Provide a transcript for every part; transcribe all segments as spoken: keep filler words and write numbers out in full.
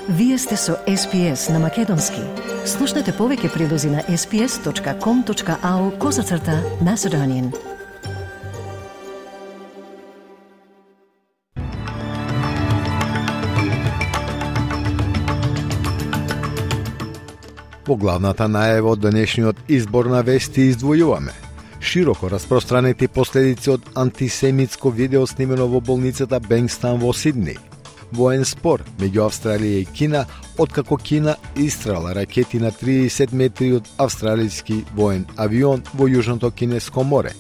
Вие сте со Ес Пи Ес на Македонски. Слушнете повеќе прилози на ес пи ес точка ком точка ау козацрта Macedonian. Во главната најава од денешниот избор на вести издвојуваме широко распространети последици од антисемитско видео снимено во болницата Бенгстаун во Сиднеј, воен спор меѓу Австралија и Кина, откако Кина истрела ракети на триесет метри од австралијски воен авион во Јужното Кинеско море.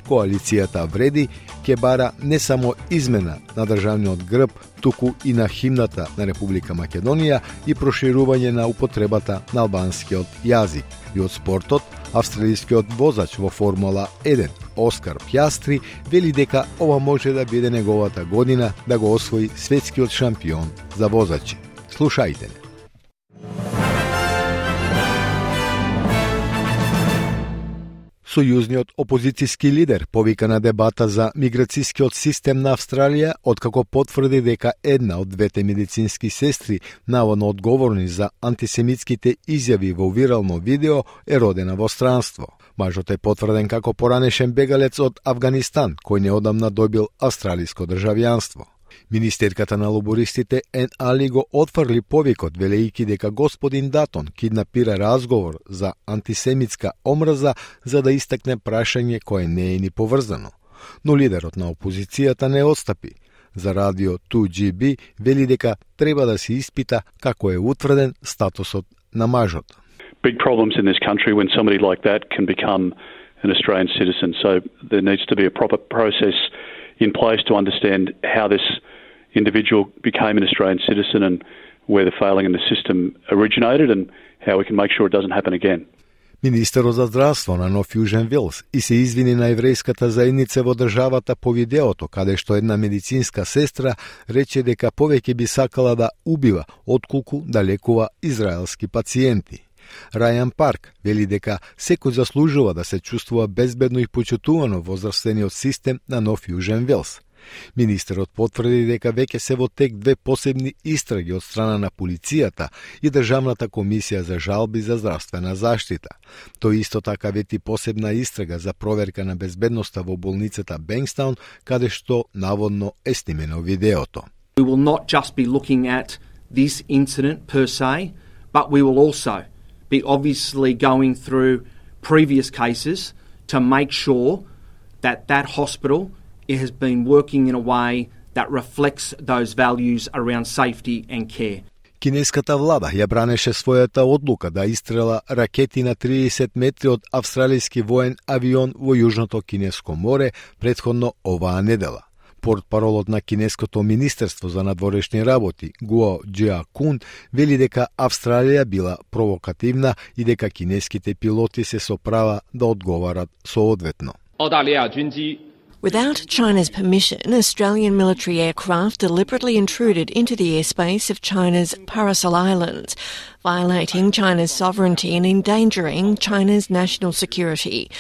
Коалицијата Вреди ќе бара не само измена на државниот грб, туку и на химната на Република Македонија и проширување на употребата на албанскиот јазик. И од спортот, австралискиот возач во Формула еден, Оскар Пјастри, вели дека ова може да биде неговата година да го освои светскиот шампион за возачи. Слушајте не. Сојузниот опозицијски лидер повика на дебата за миграцијскиот систем на Австралија, откако потврди дека една од двете медицински сестри, наводно одговорни за антисемитските изјави во вирално видео, е родена во странство. Мажот е потврден како поранешен бегалец од Авганистан, кој неодамна добил австралиско државјанство. Министерката на лобористите Ен Али го отфрли повикот, велејќи дека господин Датон киднапира разговор за антисемитска омраза за да истакне прашање кое не е ни поврзано. Но лидерот на опозицијата не отстапи. За радио ту джи би вели дека треба да се испита како е утврден статусот на мажот. Big problems in this country when somebody like that can become an Australian citizen. So there needs to be a proper process in place to understand how this individual became an Australian citizen and where the failing in the system originated and how we can make sure it doesn't happen again. Министерот за здравство на Нов Јужен Велс и се извини на еврејската заедница во државата по видеото, каде што една медицинска сестра рече дека повеќе би сакала да убива отколку да лекува израелски пациенти. Рајан Парк вели дека секој заслужува да се чувствува безбедно и почитувано во здравствениот систем на Нов Јужен Велс. Министерот потврди дека веќе се во тек две посебни истраги од страна на полицијата и Државната комисија за жалби за здравствена заштита. Тој исто така вети посебна истрага за проверка на безбедноста во болницата Бенгстаун, каде што наводно е снимено видеото. We will not just be looking at this incident per se, but we will also be obviously going through previous cases to make sure that that hospital it has been working in a way that reflects those values around safety and care. Кинеската влада ја бранеше својата одлука да истрела ракети на триесет метри од австралијски воен авион во Јужното Кинеско море претходно оваа недела. Портпаролот на Кинеското министерство за надворешни работи, Гуо Џиакун, вели дека Австралија била провокативна и дека кинеските пилоти се со права да одговарат соодветно. Without China's permission, Australian military aircraft deliberately intruded into the airspace of China's Paracel Islands, violating China's sovereignty and endangering China's national security.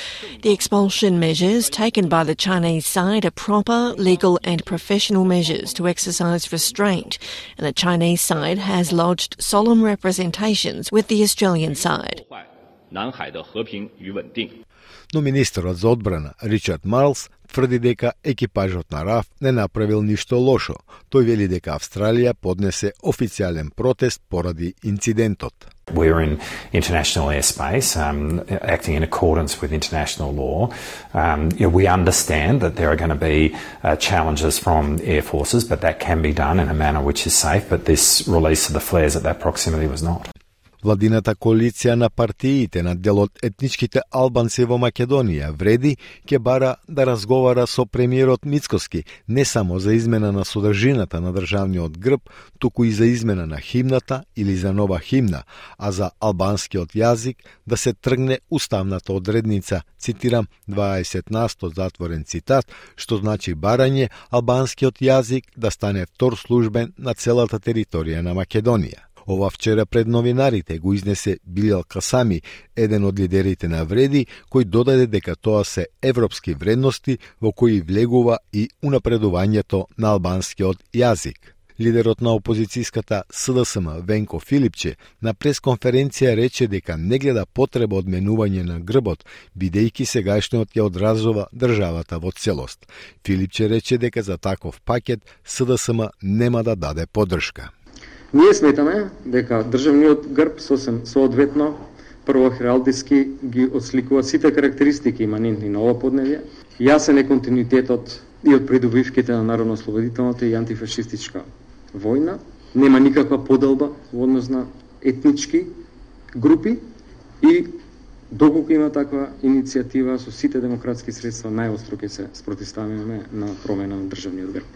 The expulsion measures taken by the Chinese side are proper, legal and professional measures to exercise restraint, and the Chinese side has lodged solemn representations with the Australian side. Но министерот за одбрана Ричард Марлс тврди дека екипажот на РАФ не направил ништо лошо. Тој вели дека Австралија поднесе официјален протест поради инцидентот. We're in international airspace, um, acting in accordance with international law. Um, you know, we understand that there are going to be uh, challenges from air forces, but that can be done in a manner which is safe. But this release of the flares at that proximity was not. Владината коалиција на партиите на дел од етничките албанци во Македонија Вреди ќе бара да разговара со премиерот Мицкоски не само за измена на содржината на државниот грб, туку и за измена на химната или за нова химна, а за албанскиот јазик да се тргне уставната одредница, цитирам дваесет насто затворен цитат, што значи барање албанскиот јазик да стане втор службен на целата територија на Македонија. Ова вчера пред новинарите го изнесе Билал Касами, еден од лидерите на Вреди, кој додаде дека тоа се европски вредности во кои влегува и унапредувањето на албанскиот јазик. Лидерот на опозицијската С Д С М Венко Филипче на пресконференција рече дека не гледа потреба од менување на грбот, бидејќи сегашниот ја одразува државата во целост. Филипче рече дека за таков пакет С Д С М нема да даде поддршка. Ние сметаме дека државниот грб сосем соодветно прво хералдиски ги отсликува сите карактеристики иманентни на ова подневје. Јасен е континуитетот и од придобивките на народно-ослободителната и антифашистичка војна. Нема никаква поделба во однос на етнички групи и доколку има таква иницијатива со сите демократски средства, најостро ќе се спротивставиме на промена на државниот грб.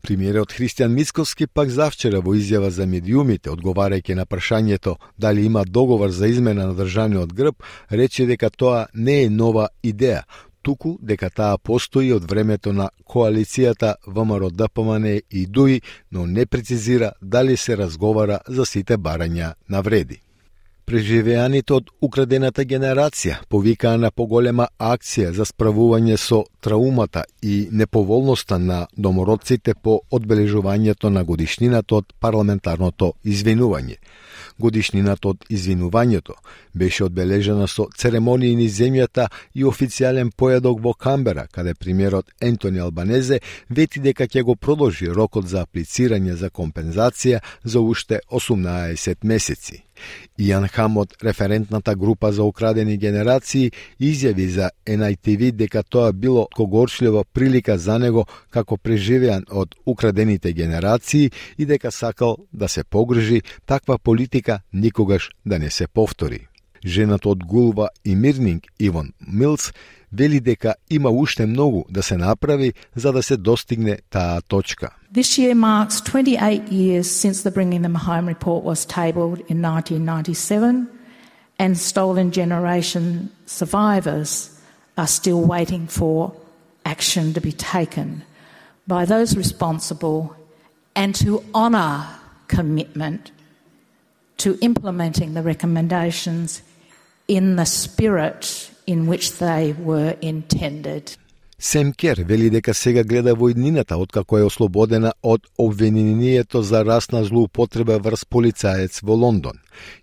Премиерот Христијан Мицковски пак завчера во изјава за медиумите, одговарајќи на прашањето дали има договор за измена на државниот грб, рече дека тоа не е нова идеја, туку дека таа постои од времето на коалицијата В М Р Д П М Н и Д У И, но не прецизира дали се разговара за сите барања на вреди. Преживеаните од украдената генерација повикаа на поголема акција за справување со траумата и неповолноста на домородците по одбележувањето на годишнината од парламентарното извинување. Годишнината од извинувањето беше одбележена со церемонии низ земјата и официјален појадок во Камбера, каде премиерот Ентони Албанезе вети дека ќе го продолжи рокот за аплицирање за компензација за уште осумнаесет месеци. Ијан Хам од референтната група за украдени генерации изјави за Ен Ај Ти Ви дека тоа било когорчлива прилика за него како преживеан од украдените генерации и дека сакал да се погрижи таква политика никогаш да не се повтори. Жената од Гулва и Мирнинг, Ивон Милс, вели дека има уште многу да се направи за да се достигне таа точка. This year marks twenty-eight years since the Bringing Them Home report was tabled in nineteen ninety-seven, and Stolen Generation survivors are still waiting for action to be taken by those responsible and to honour commitment to implementing the recommendations in the spirit in which they were intended. Сем Кер вели дека сега гледа во иднината откако е ослободена од обвинението за расна злоупотреба врз полицаец во Лондон.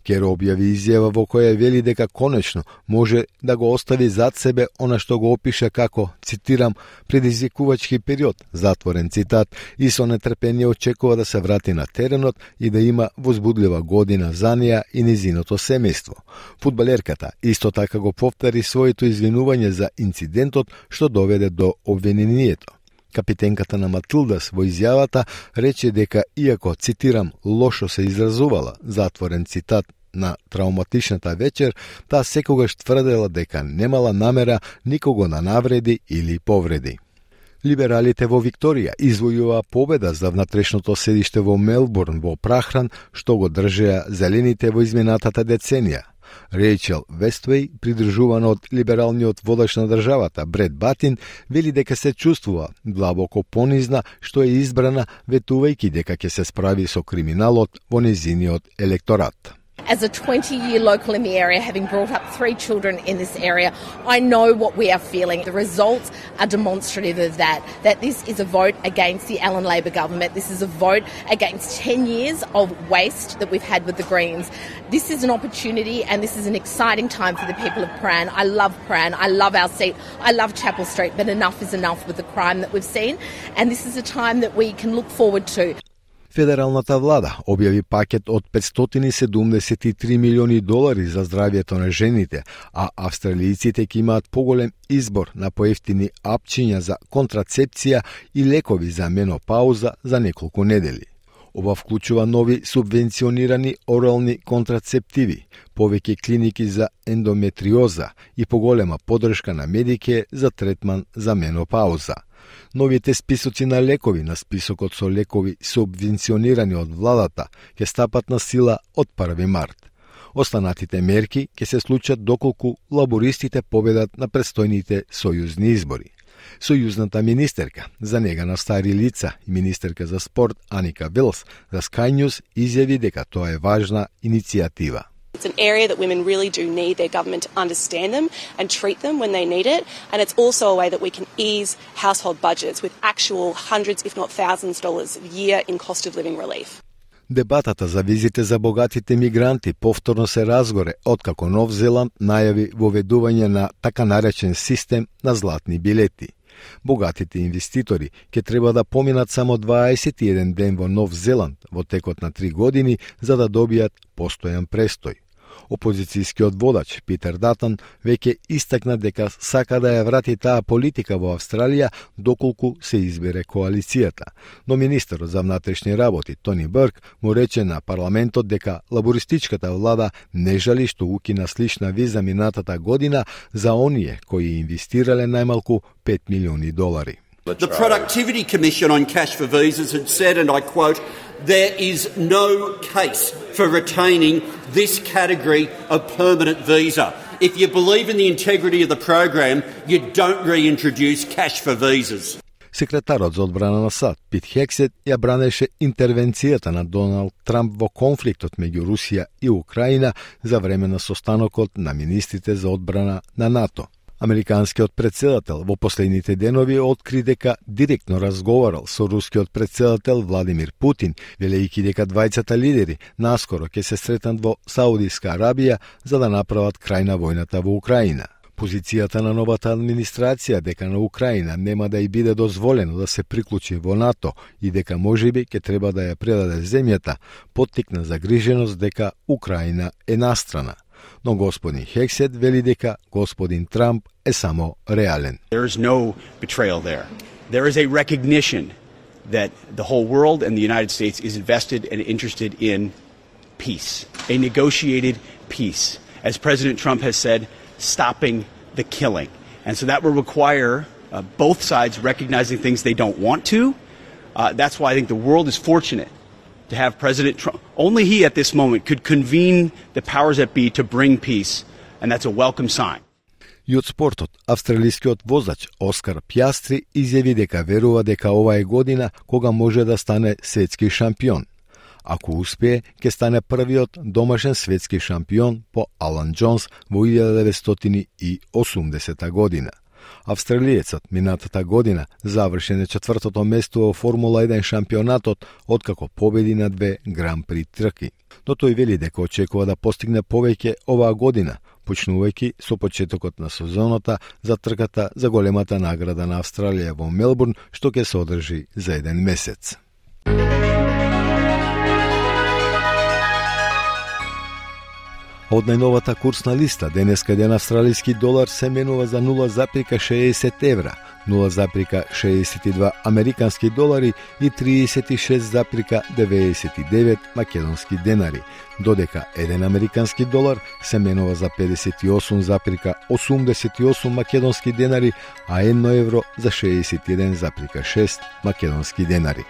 Кер објави изјава во која вели дека конечно може да го остави зад себе она што го опиша како, цитирам, предизвикувачки период, затворен цитат, и со нетрпение очекува да се врати на теренот и да има возбудлива година за неја и незиното семејство. Фудбалерката исто така го повтори своето извинување за инцидентот што доведе до обвинението. Капитенката на Матилдас во изјавата рече дека иако, цитирам, лошо се изразувала, затворен цитат, на трауматичната вечер, таа секогаш тврдела дека немала намера никого да навреди или повреди. Либералите во Викторија извојуваа победа за внатрешното седиште во Мелбурн во Прахран, што го држеа зелените во изминатата деценија. Рейчел Вествеј, придржувана од либералниот водач на државата Бред Батин, вели дека се чувствува длабоко понизна што е избрана, ветувајќи дека ќе се справи со криминалот во незиниот електорат. As a twenty-year local in the area, having brought up three children in this area, I know what we are feeling. The results are demonstrative of that, that this is a vote against the Allen Labor government. This is a vote against ten years of waste that we've had with the Greens. This is an opportunity and this is an exciting time for the people of Prahran. I love Prahran. I love our seat. I love Chapel Street, but enough is enough with the crime that we've seen. And this is a time that we can look forward to. Федералната влада објави пакет од петстотини и седумдесет и три милиони долари за здравјето на жените, а австралијците ќе имаат поголем избор на поевтини апчиња за контрацепција и лекови за менопауза за неколку недели. Ова вклучува нови субвенционирани орални контрацептиви, повеќе клиники за ендометриоза и поголема поддршка на медике за третман за менопауза. Новите списоци на лекови на списокот со лекови субвенционирани од владата ќе стапат на сила од први март. Останатите мерки ќе се случат доколку лабористите победат на предстојните сојузни избори. Сојузната министерка за нега на стари лица и министерка за спорт Аника Вилс за Sky News изјави дека тоа е важна иницијатива. It's an area that women really do need their government to understand them and treat them when they need it. And it's also a way that we can ease household budgets with actual hundreds, if not thousands, dollars a year in cost of living relief. Дебатата за визите за богатите мигранти повторно се разгоре откако Нов Зеланд најави воведување на така наречен систем на златни билети. Богатите инвеститори ќе треба да поминат само дваесет и еден ден во Нов Зеланд во текот на три години за да добијат постојан престој. Опозицијскиот водач Питер Датан веќе истакна дека сака да ја врати таа политика во Австралија доколку се избере коалицијата. Но министерот за внатрешни работи Тони Бърк му рече на парламентот дека лабористичката влада не жали што укина слична виза минатата година за оние кои инвестирале најмалку пет милиони долари. The Productivity Commission on cash for visas had said, and I quote, "There is no case for retaining this category of permanent visa. If you believe in the integrity of the program, you don't reintroduce cash for visas." Секретарот за одбрана на САД Пит Хексет ја бранеше интервенцијата на Доналд Трамп во конфликтот меѓу Русија и Украина за време на состанокот на министрите за одбрана на НАТО. Американскиот претседател во последните денови откри дека директно разговарал со рускиот претседател Владимир Путин, велејќи дека двајцата лидери наскоро ќе се сретнат во Саудиска Арабија за да направат крај на војната во Украина. Позицијата на новата администрација дека на Украина нема да ја биде дозволено да се приклучи во НАТО и дека можеби ќе треба да ја предаде земјата, поттикна загриженост дека Украина е настрана. Но господин Хексет вели дека господин Трамп е само реален. There is no betrayal there. There is a recognition that the whole world and the United States is invested and interested in peace, a negotiated peace. As President Trump has said, stopping the killing. And so that will require uh, both sides recognizing things they don't want to. Uh, that's why I think the world is fortunate to have President Trump. Only he at this moment could convene the powers that be to bring peace, and that's a welcome sign. И од спортот, австралискиот возач Оскар Пјастри изјави дека верува дека ова е година кога може да стане светски шампион. Ако успее, ќе стане првиот домашен светски шампион по Алан Џонс во илјада деветстотини и осумдесета година. Австралиецот минатата година заврши на четвртото место во Формула еден шампионатот откако победи на две Гран При трки. Но тој вели дека очекува да постигне повеќе оваа година, почнувајќи со почетокот на сезоната за трката за големата награда на Австралија во Мелбурн, што ќе се одржи за еден месец. Од најновата курсна листа, денеска еден австралиски долар се менува за нула запирка шеесет евра, нула запирка шеесет и два американски долари и триесет и шест запирка деветдесет и девет македонски денари, додека еден американски долар се менува за педесет и осум запирка осумдесет и осум македонски денари, а едно евро за шеесет и еден запирка шест македонски денари.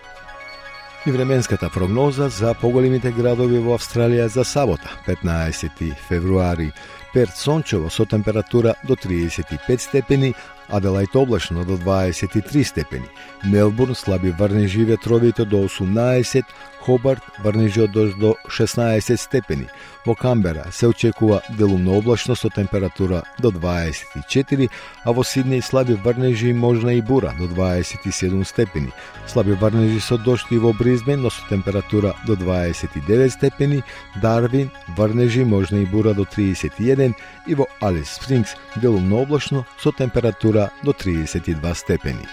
И временската прогноза за поголемите градови во Австралија за сабота, петнаесети февруари. Перт сончево со температура до триесет и пет степени, Аделајд облачно до дваесет и три степени, Мелбурн слаби врнежи ветровите до осумнаесет, Хобарт врнежи од дожд до шеснаесет степени. Во Камбера се очекува делумно облачно со температура до дваесет и четири, а во Сиднеј слаби врнежи и можна и бура до дваесет и седум степени. Слаби врнежи со дожд и во Бризбен, но со температура до дваесет и девет степени, Дарвин врнежи можна и бура до триесет и еден и во Алис Спрингс делумно облачно со температура до триесет и два степени.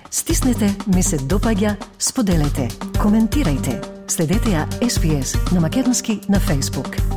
Стиснете, ми се допаѓа, споделете, коментирајте. Следете ја Ес Би Ес на македонски на Facebook.